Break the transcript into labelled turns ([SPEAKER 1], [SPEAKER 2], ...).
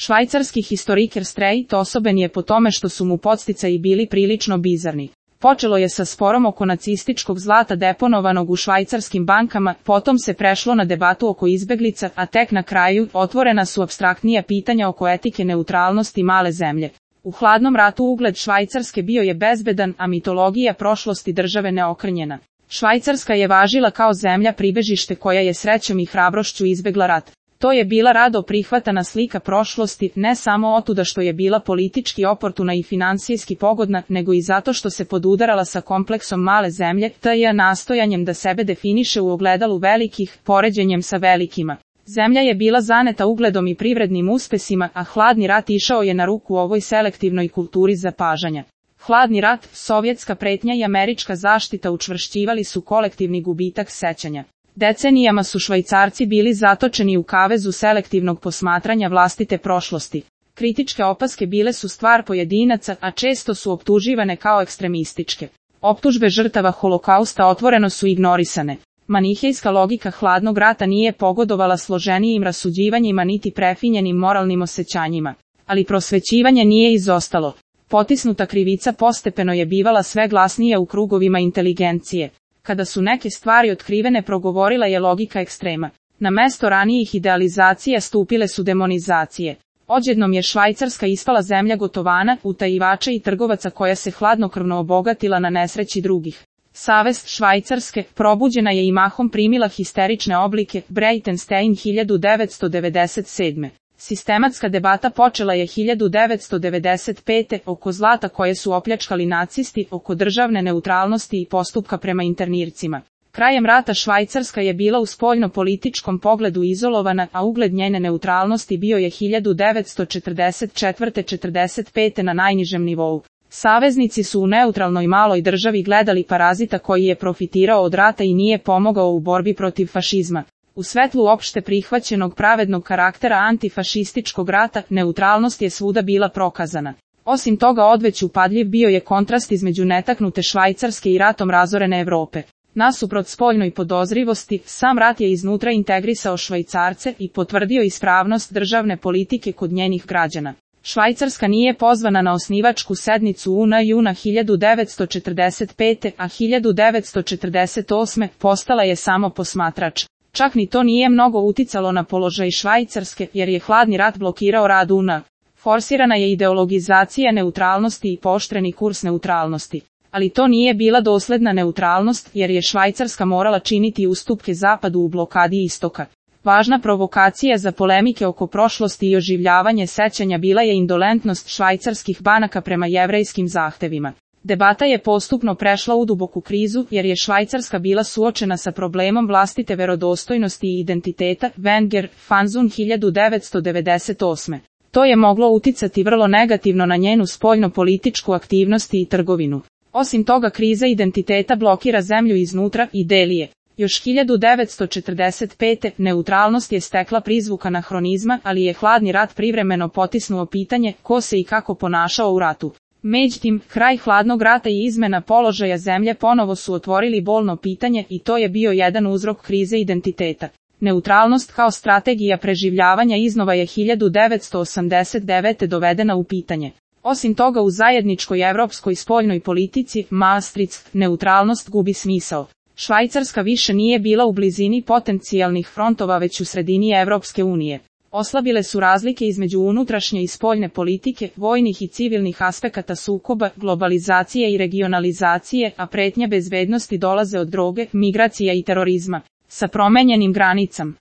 [SPEAKER 1] Švajcarski historiker Streit osoben je po tome što su mu podsticaji bili prilično bizarni. Počelo je sa sporom oko nacističkog zlata deponovanog u švajcarskim bankama, potom se prešlo na debatu oko izbeglica, a tek na kraju otvorena su apstraktnija pitanja oko etike neutralnosti male zemlje. U hladnom ratu ugled Švajcarske bio je bezbedan, a mitologija prošlosti države neokrnjena. Švajcarska je važila kao zemlja pribežište koja je srećom i hrabrošću izbegla rat. To je bila rado prihvatana slika prošlosti, ne samo otuda što je bila politički oportuna i finansijski pogodna, nego i zato što se podudarala sa kompleksom male zemlje, t.j. nastojanjem da sebe definiše u ogledalu velikih, poređenjem sa velikima. Zemlja je bila zaneta ugledom i privrednim uspesima, a hladni rat išao je na ruku ovoj selektivnoj kulturi zapažanja. Hladni rat, sovjetska pretnja i američka zaštita učvršćivali su kolektivni gubitak sećanja. Decenijama su Švajcarci bili zatočeni u kavezu selektivnog posmatranja vlastite prošlosti. Kritičke opaske bile su stvar pojedinaca, a često su optuživane kao ekstremističke. Optužbe žrtava holokausta otvoreno su ignorisane. Manihejska logika hladnog rata nije pogodovala složenijim rasuđivanjima niti prefinjenim moralnim osjećanjima. Ali prosvećivanje nije izostalo. Potisnuta krivica postepeno je bivala sve glasnija u krugovima inteligencije. Kada su neke stvari otkrivene, progovorila je logika ekstrema. Na mesto ranijih idealizacija stupile su demonizacije. Odjednom je Švajcarska ispala zemlja gotovana, utajivača i trgovaca koja se hladnokrvno obogatila na nesreći drugih. Savest Švajcarske, probuđena je i mahom primila histerične oblike, Breitenstein 1997. Sistematska debata počela je 1995. oko zlata koje su opljačkali nacisti, oko državne neutralnosti i postupka prema internircima. Krajem rata Švajcarska je bila u spoljno-političkom pogledu izolovana, a ugled njene neutralnosti bio je 1944-45. na najnižem nivou. Saveznici su u neutralnoj maloj državi gledali parazita koji je profitirao od rata i nije pomogao u borbi protiv fašizma. U svetlu opšte prihvaćenog pravednog karaktera antifašističkog rata, neutralnost je svuda bila prokazana. Osim toga odveć upadljiv bio je kontrast između netaknute Švajcarske i ratom razorene Evrope. Nasuprot spoljnoj podozrivosti, sam rat je iznutra integrisao Švajcarce i potvrdio ispravnost državne politike kod njenih građana. Švajcarska nije pozvana na osnivačku sednicu UN juna 1945. a 1948. postala je samo posmatrač. Čak ni to nije mnogo uticalo na položaj Švajcarske, jer je hladni rat blokirao rad UN. Forsirana je ideologizacija neutralnosti i pooštreni kurs neutralnosti. Ali to nije bila dosledna neutralnost, jer je Švajcarska morala činiti ustupke Zapadu u blokadi istoka. Važna provokacija za polemike oko prošlosti i oživljavanje sećanja bila je indolentnost švajcarskih banaka prema jevrejskim zahtevima. Debata je postupno prešla u duboku krizu, jer je Švajcarska bila suočena sa problemom vlastite verodostojnosti i identiteta, Wenger, Fanzun 1998. To je moglo uticati vrlo negativno na njenu spoljno-političku aktivnost i trgovinu. Osim toga, kriza identiteta blokira zemlju iznutra i deli je. Još 1945. neutralnost je stekla prizvuk anahronizma, ali je hladni rat privremeno potisnuo pitanje ko se i kako ponašao u ratu. Međutim, kraj hladnog rata i izmena položaja zemlje ponovo su otvorili bolno pitanje i to je bio jedan uzrok krize identiteta. Neutralnost kao strategija preživljavanja iznova je 1989. dovedena u pitanje. Osim toga, u zajedničkoj evropskoj spoljnoj politici, Maastricht, neutralnost gubi smisao. Švajcarska više nije bila u blizini potencijalnih frontova već u sredini Evropske unije. Oslabile su razlike između unutrašnje i spoljne politike, vojnih i civilnih aspekata sukoba, globalizacije i regionalizacije, a pretnje bezbednosti dolaze od droge, migracija i terorizma. Sa promenjenim granicama,